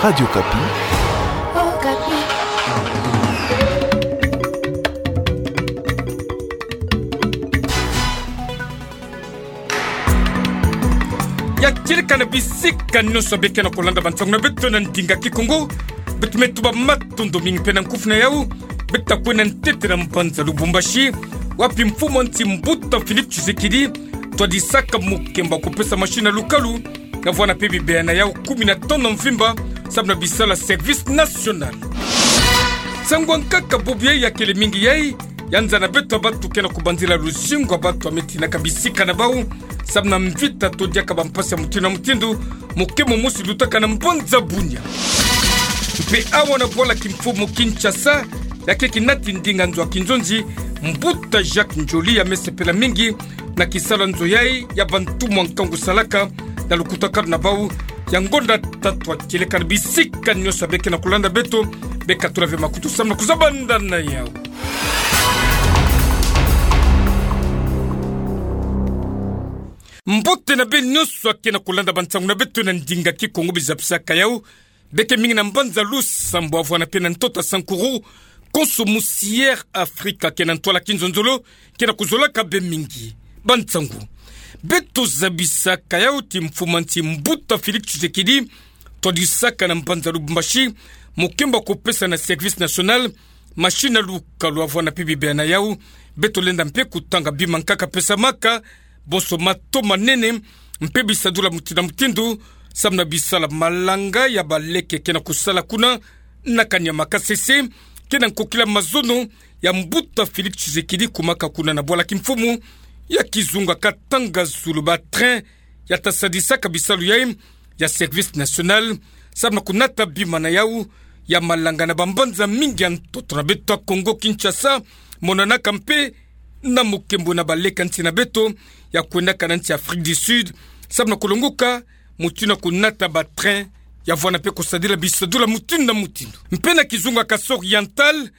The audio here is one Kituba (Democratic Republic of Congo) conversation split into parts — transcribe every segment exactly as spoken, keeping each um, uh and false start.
Radio Okapi. Ya kieleka na bisika nyonso beke na kolanda bansangu na beto na ndinga Kikongo. Beto me tuba matondo mingi mpe na nkufi na yau. Beto ta kwenda ntete na mbanza Lubumbashi, wapi mfumu a nsi Mbuta Félix Tshisekedi twadisaka mukembo wa kupesa machine ya lukalu, na vwanda mpe bibeya na yau kumi na tanu mvimba, samu na bisala service national. Nsangu ya nkaka bubu yai ya kele mingi yai, ya nza na beto ya bantu ke na kubanzila luzingu ya bantu ya me tinaka bisika na bau, samu na mvita to diaka bampasi ya mutindu na mutindu, mukembo mosi lutaka na mbanza Bunia. Mpe awa na bwala kimfumu Kinshasa, ya ke kinati ndinga nzo ya kinzonzi, Mbuta Jacques Ndjoli ya me sepela mingi na kisalu ya nzo yai ya bantumwa nkangu salaka na lukutakanu na bau. Ya ngonda tatwa kieleka na bisika nyonso beke na kolanda beto, beka tula ve makutu samu na kuzabanda na yau. Mbote na beno nyonso ya ke na kolanda bansangu na beto na ndinga Kikongo, bizabisaka yau. Beke mingi na mbanza Lusambwa vwanda mpe na ntoto ya Sankuru, konso musi Air Afrika ke na ntwala kinzonzolo, ke na kuzolaka bê mingi. Bansangu, beto zabisaka yau ti mfumu a nsi Mbuta Félix Tshisekedi twadisaka na mbanza Lubumbashi mukembo wa kupesa na service national machine ya lukalu, vwanda mpe bibeya na yau. Beto lenda mpe kutanga bima nkaka pesamaka, bonso mato manene, mpe bisadulu ya mutindu na mutindu, samu na bisala malanga ya baleke ke na kusala kuna na kani ya Makasese, ke na nkokila mazono ya Mbuta Félix Tshisekedi kumaka kuna na bwala kimfumu ya kizunga Katanga-Zulu. Ba train ya ta sadisaka bisalu yai ya service national, samu na kunata bima na yau ya malanga na bambanza mingi ya ntoto na beto ya Kongo Kinshasa, monanaka mpe na mukembo na baleke ya nsi na beto ya kwendaka na nsi Afrique du Sud, samu na kulonguka mutindu na kunata ba train ya vwanda mpe kusadila bisadulu ya mutindu na mutindu. Mpe na kizunga Kasai Oriental,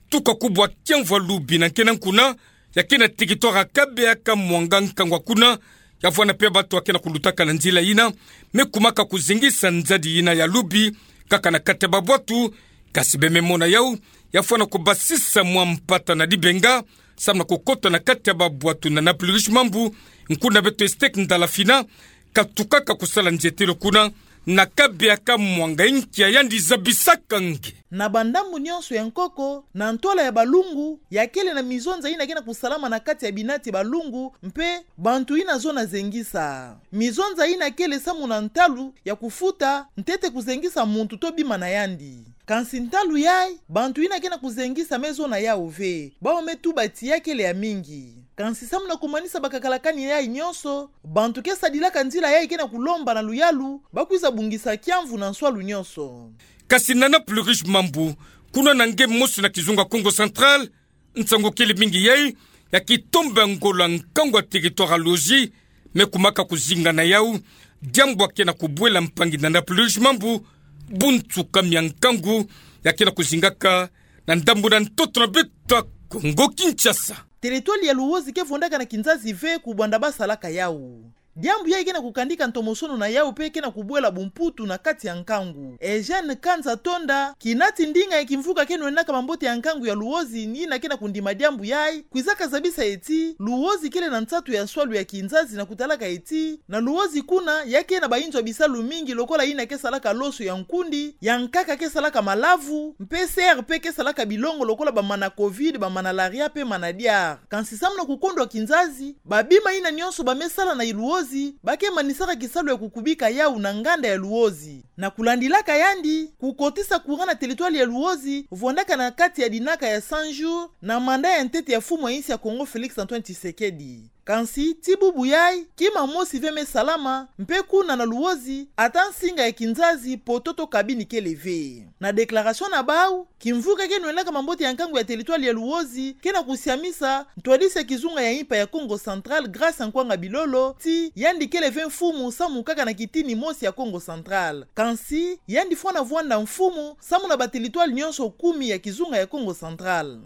tuka kubwa kiamvu ya lubi na nkena kuna, ya ke na territoire ya Kabeya-Kamwanga, nkangu kuna, ya vwanda mpe bantu ya ke na kulutaka na nzila yina me kumaka kuzengisa nzadi yina ya lubi, kaka na kati ya babwatu. Kasi bê me mona yau ya vwanda kubasisa mwa mpata na dibenga, samu na kukota na kati ya babwatu. Na Nampulirishi Mambu, nkuna beto Estek Ndalafina katukaka kusala nzietelo kuna na Kabeya-Kamwanga, inki ya yandi zabisaka nge. Na bandambu nyonso ya nkoko, na ntwala ya balungu, ya kele na mizonza yina ke na kusalama na kati ya binati ya balungu, mpe bantu yina zona zengisa. Mizonza yina kele samu na ntalu ya kufuta, ntete kuzengisa muntu to bima na yandi. Kansi ntalu yai, bantu yina ke na kuzengisa me zona yau ve, bau me tuba ti ya kele ya mingi. Kansi samu na kumanisa bakakalakani yai nyonso, bantu ke sadilaka nzila yai ke na kulomba na luyalu bakwiza bungisa kiamvu na nswalu nyonso. Kasi na Nampulirishi Mambu, kuna na nge mosi na kizunga Kongo Central, nsangu kele mingi yai ya kitombe ya ngolo ya nkangu ya territoire ya Lozi me kumaka kuzinga na yau, diambu ya ke na kubwela mpangi na Nampulirishi Mambu bunsuka mia nkangu ya ke na kuzingaka na ndambu na ntoto na beto ya Kongo Kinshasa. Territoire ya Luozi ke vondaka na kinzazi ve kubanda basalaka yau. Diambu yai ke na kukandika ntomosono na yau mpe ke na kubwela bumputu na kati ya nkangu. Eugène Kanza Tonda, kinati ndinga ya kimvuka ke nwendaka mambote ya nkangu ya Luozi, ni yina ke na kundima diambu yai, kwizaka zabisa ti Luozi kele na nsatu ya nswalu ya kinzazi na kutalaka ti na Luozi kuna, ya ke na bayinzo ya bisalu mingi lokola yina ke salaka loso ya nkundi, ya nkaka ke salaka malavu, mpe C R P ke salaka bilongo lokola bamana covid, bamana malaria mpe mana diar. Kansi samu na kukondwa kinzazi, babima yina nyonso ba me sala na Luozi, ba ke manisaka kisalu ya kukubika yau na nganda ya Luozi. Na kulandilaka yandi, kukotisa courant na territoire ya Luozi vondaka na kati ya dinaka ya cent jours na mandat ya ntete ya mfumu ya insi ya Kongo Félix Antoine Tshisekedi. Kansi, ti bubu yai, kima mosi ve me salama, mpe kuna na Luozi, ata nsinga ya kinzazi, poteau to cabine kele ve. Na déclaration na bau, kimvuka ke nwendaka mambote ya nkangu ya territoire ya Luozi ke na kusiamisa ntwadisi ya kizunga ya impa ya Kongo Central, Grace Nkwanga Bilolo, ti yandi kele ve mfumu samu kaka na kitini mosi ya Kongo Central. Kansi, yandi fwana vwanda mfumu samu na ba territoire nyonso kumi ya kizunga ya Kongo Central.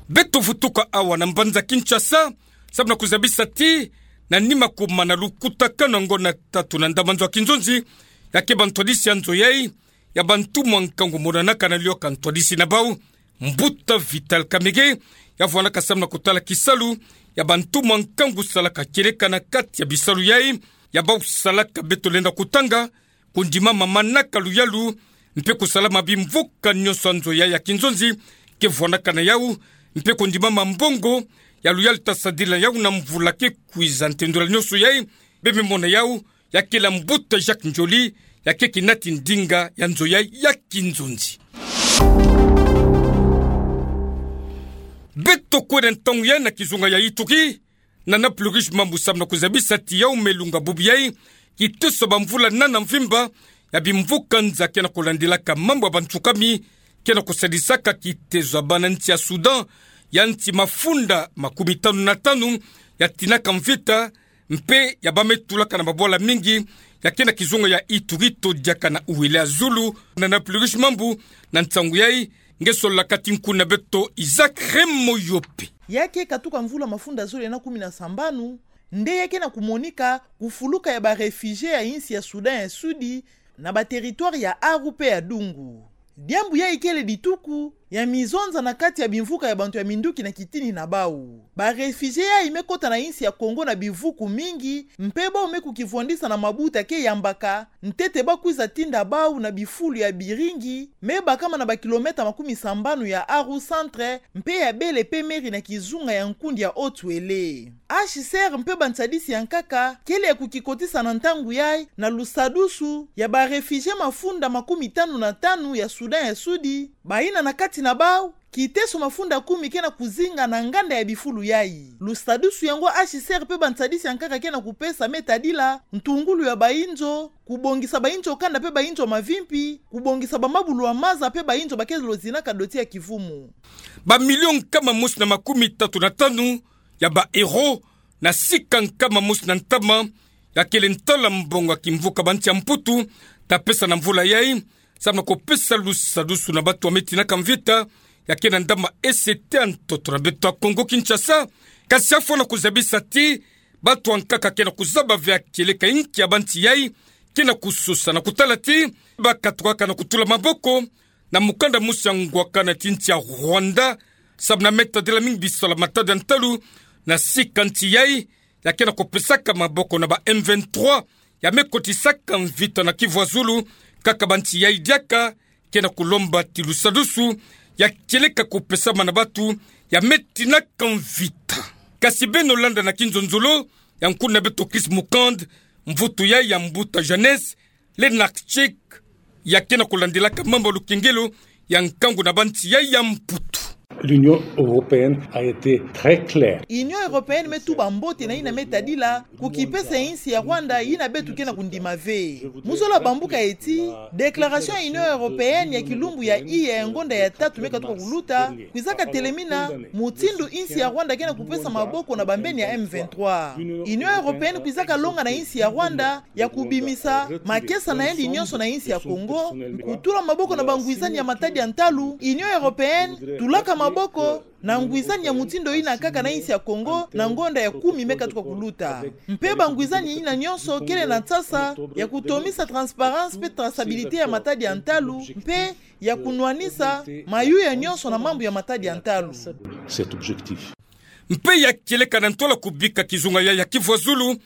Beto vutuka awa na mbanza Kinshasa, samu na kuzabisa ti na nima kuma na lukutakano ngonatatu na ndam'anzo ya kinzonzi, ya keba ntwadisi ya nzo yai, ya ba ntumwa nkangu monanaka na lioka ntwadisi na bau, Mbuta Vital Kamerhe, ya vwanaka samu na kutala kisalu ya ba ntumwa nkangu salaka kieleka na kati ya bisalu yai, ya bau salaka beto lenda kutanga, kondimama manaka luyalu, mpe kusalama bimvuka nyonso ya nzo yai ya kinzonzi ke vwanaka na yau, mpe kondimama mbongo ya luyalu ta sadila yau na mvula ke kwiza. Ntendula nyonso yai, bememona yau, ya kele Mbuta Jacques Ndjoli, ya keke nati ndinga ya nzo yai ya kinzonzi. Beto kwenda ntangu yai na kizunga ya Ituri, na Nana Plurish Mambu samu na kuzabisa ti yau me lunga bubu yai, kiteso ba mvula nana mvimba, ya bimvuka nza ke na kulandilaka mambu ya bantukami, ke na kusadisaka kitezo ya bana nsi ya Soudan, ya nsi mafunda makumi tanu na tanu, ya tinaka mvita, mpe ya ba me tulaka na mabwala mingi, ya ke na kizunga ya Ituri to diaka na Uele ya zulu. Nana Plurish Mambu, na nsangu yai, nge sololaka ti nkuna beto Isaac Remoyope. Ya ke katuka mvula mafunda zole na kumi na sambanu, nde ya ke na kumonika kufuluka ya ba réfugiés ya insi ya Soudan ya Sudi, na ba territoire ya Aru mpe ya Dungu. Diambu yai kele dituku ya mizonza na kati ya bimvuka ya bantu ya minduki na kitini na bau. Ba réfugiés yai me kota na insi ya Congo na bivuku mingi, mpe bau me kukivwandisa na mabuta ke yambaka, ntete ba kwiza tinda bau na bifulu ya biringi, me bakama na ba kilomètre makumi sambanu ya Aru centre, mpe ya bele mpe mairie na kizunga ya nkundi ya Haut-Uele. H C R mpe bansadisi ya nkaka kele ya kukikotisa na ntangu yai na lusadusu ya ba réfugiés mafunda makumi tanu na tanu ya Soudan ya Sudi, bayina na kati na bau kiteso mafunda kumi ke na kuzinga na nganda ya bifulu yai. Lusadusu yango H C R mpe bansadisi ya nkaka ke na kupesa me tadila ntungulu ya bainzo, kubongisa bainzo kanda mpe bainzo mavimpi, kubongisa ba mabulu ya maza mpe bainzo ba ke lozinaka doti ya kivumu. Ba millions nkama mosi na makumi tatu na tanu ya ba euros, na sika nkama mosi na ntama, ya kele ntala mbongo ya kimvuka ba nsi ya Mputu ta pesa na mvula yai, samu na kupesa lusadusu na batu ya me tinaka mvita, ya ke na ndama E C T ya ntoto na beto ya Congo Kinshasa. Kasi ya fwana kuzabisa ti batu ya nkaka ke na kuzaba ve ya kieleka inki ya ba nsi yai ke na kusosa, na kutala ti ba katukaka na kutula maboko na mukanda mosi ya ngwakana ti nsi ya Rwanda, samu na me tadila mingi bisalu ya matadi ya ntalu na sika nsi yai, ya ke na kupesaka maboko na ba M vingt-trois, ya me kotisaka mvita na Kivu ya zulu, kaka ba nsi yai diaka ke na kulomba ti lusadusu ya kieleka kupesama na batu ya me tinaka mvita. Kasi beno landa na kinzonzolo ya nkuna beto Chris Mukand, mvutu yai ya mbuta Janès Lenartchik, ya ke na kulandilaka mambu ya lukengelo ya nkangu na ba nsi yai ya Mputu. L'Union européenne a été très claire. Union européenne me tuba mbote na yina me tadila kukipesa ya insi ya Rwanda yina beto ke na kundima ve. Mu zola bambuka ti déclaration ya Union européenne ya kilumbu ya iya ya ngonda ya tatu me katuka kuluta, kwizaka telemina mutindu insi ya Rwanda ke na kupesa maboko na bambeni ya M vingt-trois. Union européenne kwizaka longa na insi ya Rwanda ya kubimisa makesa na yandi nyonso na insi ya Congo, kutula maboko na bangwizani ya matadi ya ntalu. Union européenne tulaka maboko na ngwizani ya mutindu yina kaka na insi ya Congo na ngonda ya kumi me katuka kuluta. Mpe bangwizani yina nyonso kele na nsasa ya kutomisa transparence mpe traçabilité ya matadi ya ntalu, mpe ya kunwanisa mayuya nyonso na mambu ya matadi ya ntalu. Cet objectif. Mpe ya kieleka na ntwala kubika kizunga yai ya Kivu ya zulu,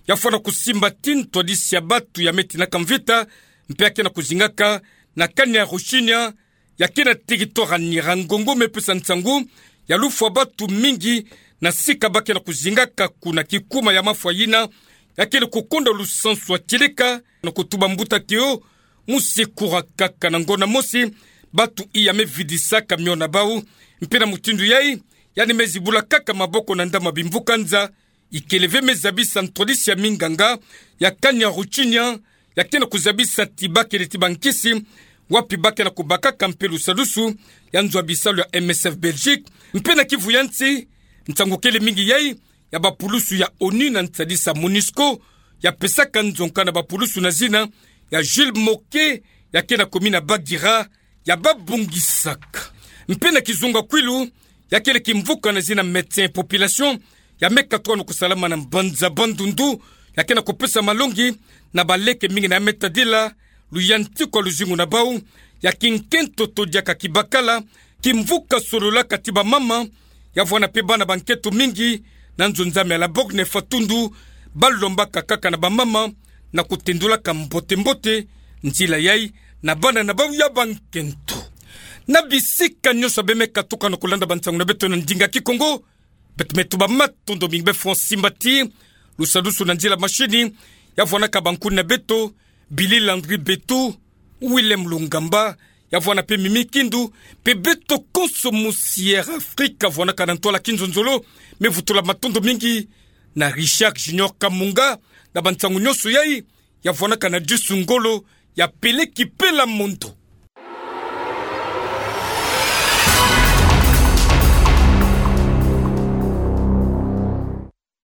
ya fwana kusimba ti ntwadisi ya batu ya me tinaka mvita, mpe ya ke na kuzingaka na Kanyaruchinya, ya ke na territoire ya Nyiragongo, me pesa nsangu ya lufwa batu mingi na sika ba ke na kuzingaka kuna, kikuma ya mafwa yina ya kele kukonda lusansu ya kieleka, na kutuba mbuta Théo Musekura kaka na ngonda mosi, batu iya me vidisaka miona bau, mpe na mutindu yai, yandi me zibula kaka maboko na ndama bimvuka nza. Ikele ve me zabisa ntwadisi ya minganga ya Kanyaruchinya, ya ke na kuzabisa ti ba kele ti bankisi, wapi ba ke na kubakaka mpe lusadusu ya nzo ya bisalu ya M S F Belgique, mpe na Kivu ya nsi, nsangu kele mingi yai ya bapulusu ya ONU na nsadisa MONUSCO, ya pesaka nzonka na bapulusu na zina ya Jules Moke, ya ke na commune ya Bagira, ya babongisaka. Mpe na kizunga kwilu, ya kele kimvuka na zina Médecins et Population, ya me katuka no kusalama na mbanza Bandundu, ya ke na kupesa malongi na baleke mingi na ya me tadila luyantikwa luzingu na bau, ya ki nkento to diaka kibakala, ki mvuka solola kati bamama, ya vwanda pe bana ba nkento mingi na nzonza mia la Bogue na Fatundu, balombaka kaka na bamama na kutendulaka mbote-mbote nzila yai na bana na bau ya ba nkento. Na bisika nyonso ya be me katuka no kulanda bansangu na beto na ndinga Kikongo, beto me tuba matondo mingi be Francis Mbati, lusadusu na nzila mashini, ya vwanaka bankuni na beto, Billy Landry Betu, Willem Lungamba, ya vwanda pe Mimi Kindu, pe beto konso musi Air Afrique ya vwanaka na ntwala kinzonzolo, me vutula matondo mingi na Richard Junior Kamunga, na bansangu nyonso yai, ya vwanaka na Disu Ngolo, ya peleki pela mondo.